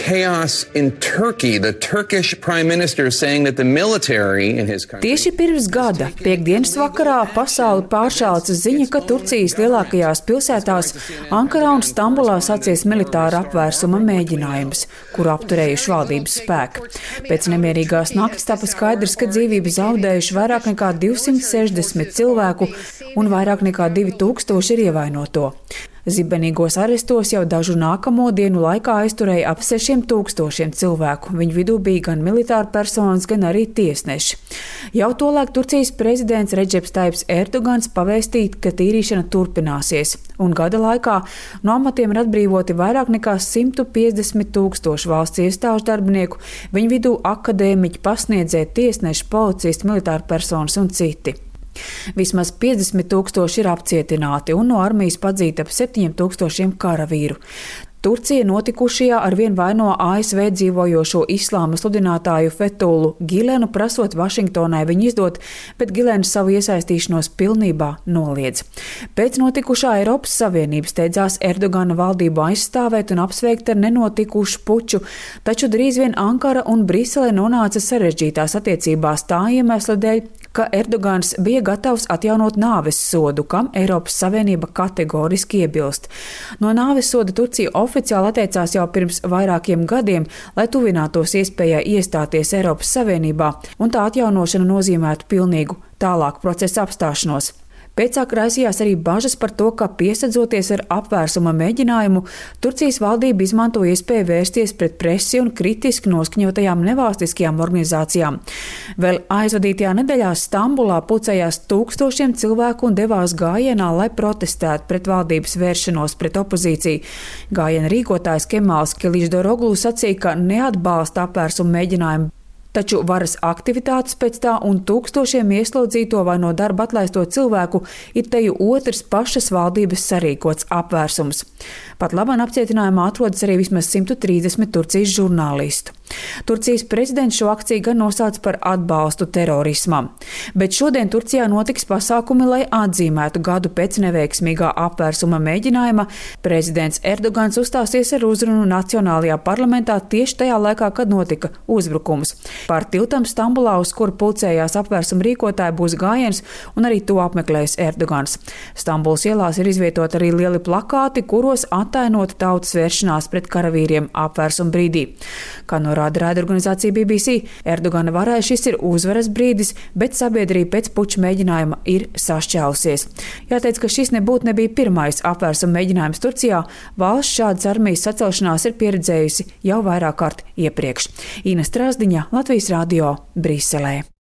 chaos in Turkey. The Turkish prime minister saying that the military in his country. Tieši pirms gada, piektdienas vakarā, pasauli pāršāca ziņa, ka Turcijas lielākajās pilsētās Ankarā un Stambulā sācies militāra apvērsuma mēģinājums, kuru apturējuši valdības spēki. Pēc nemierīgās nakts tapa skaidrs, ka dzīvību zaudējuši vairāk nekā 260 cilvēku un vairāk nekā 2000 ir ievainoto. Zibenīgos arestos jau dažu nākamo dienu laikā aizturēja ap 6000 cilvēku. Viņu vidū bija gan militāri personas, gan arī tiesneši. Jau tolaik Turcijas prezidents Redžeps Taips Erdogans pavēstīja, ka tīrīšana turpināsies, un gada laikā no amatiem ir atbrīvoti vairāk nekā 150 000 valsts iestāžu darbinieku, viņu vidū akadēmiķi, pasniedzēji, tiesneši, policisti, militāri personas un citi. Vismaz 50 000 ir apcietināti un no armijas padzīta ap 7000 karavīru. Turcija notikušajā arvien vaino ASV dzīvojošo islāma sludinātāju Fethullu Gilenu, prasot Vašingtonai viņu izdot, bet Gilens savu iesaistīšanos pilnībā noliedz. Pēc notikušā Eiropas Savienības steidzās Erdogana valdību aizstāvēt un apsveikt ar nenotikušu puču, taču drīz vien Ankara un Brisele nonāca sarežģītās attiecībās tā iemesla dēļ, ka Erdogans bija gatavs atjaunot nāves sodu, kam Eiropas Savienība kategoriski iebilst. No nāves soda Turcija oficiāli atteicās jau pirms vairākiem gadiem, lai tuvinātos iespējai iestāties Eiropas Savienībā, un tā atjaunošana nozīmētu pilnīgu tālāku procesu apstāšanos. Pēcāk raisījās arī bažas par to, ka piesadzoties ar apvērsuma mēģinājumu, Turcijas valdība izmanto iespēju vērsties pret presi un kritiski noskaņotajām nevalstiskajām organizācijām. Vēl aizvadītajā nedēļā Stambulā pulcējās 1000 cilvēku un devās gājienā, lai protestētu pret valdības vēršanos pret opozīciju. Gājiena rīkotājs Kemāls Kiličdaroglu sacīja, ka neatbalsta apvērsuma mēģinājumu, taču varas aktivitātes pēc tā un tūkstošiem ieslodzīto vai no darba atlaisto cilvēku ir teju otrs pašas valdības sarīkots apvērsums. Pat labāk apcietinājumā atrodas arī vismaz 130 Turcijas žurnālistu. Turcijas prezidents šo akciju gan nosauca par atbalstu terorismam. Bet šodien Turcijā notiks pasākumi, lai atzīmētu gadu pēc neveiksmīgā apvērsuma mēģinājuma. Prezidents Erdogans uzstāsies ar uzrunu Nacionālajā parlamentā tieši tajā laikā, kad notika uzbrukums. Pār tiltam Stambulā, uz kuru pulcējās apvērsuma rīkotāji, būs gājiens, un arī to apmeklēs Erdogans. Stambulas ielās ir izvietoti arī lieli plakāti, kuros attainota tautas vēršanās pret karavīriem apvērsuma brīdī. Kā norāda raidorganizācija BBC, Erdogana varai šis ir uzvaras brīdis, bet sabiedrība pēc puča mēģinājuma ir sašķēlusies. Jāteic, ka šis nebija pirmais apvērsuma mēģinājums Turcijā. Valsts šādas armijas sacelšanās ir pieredzējusi jau vairāk kārt iepriekš. Ina Strasdiņa, Latvijas radio, Briselē.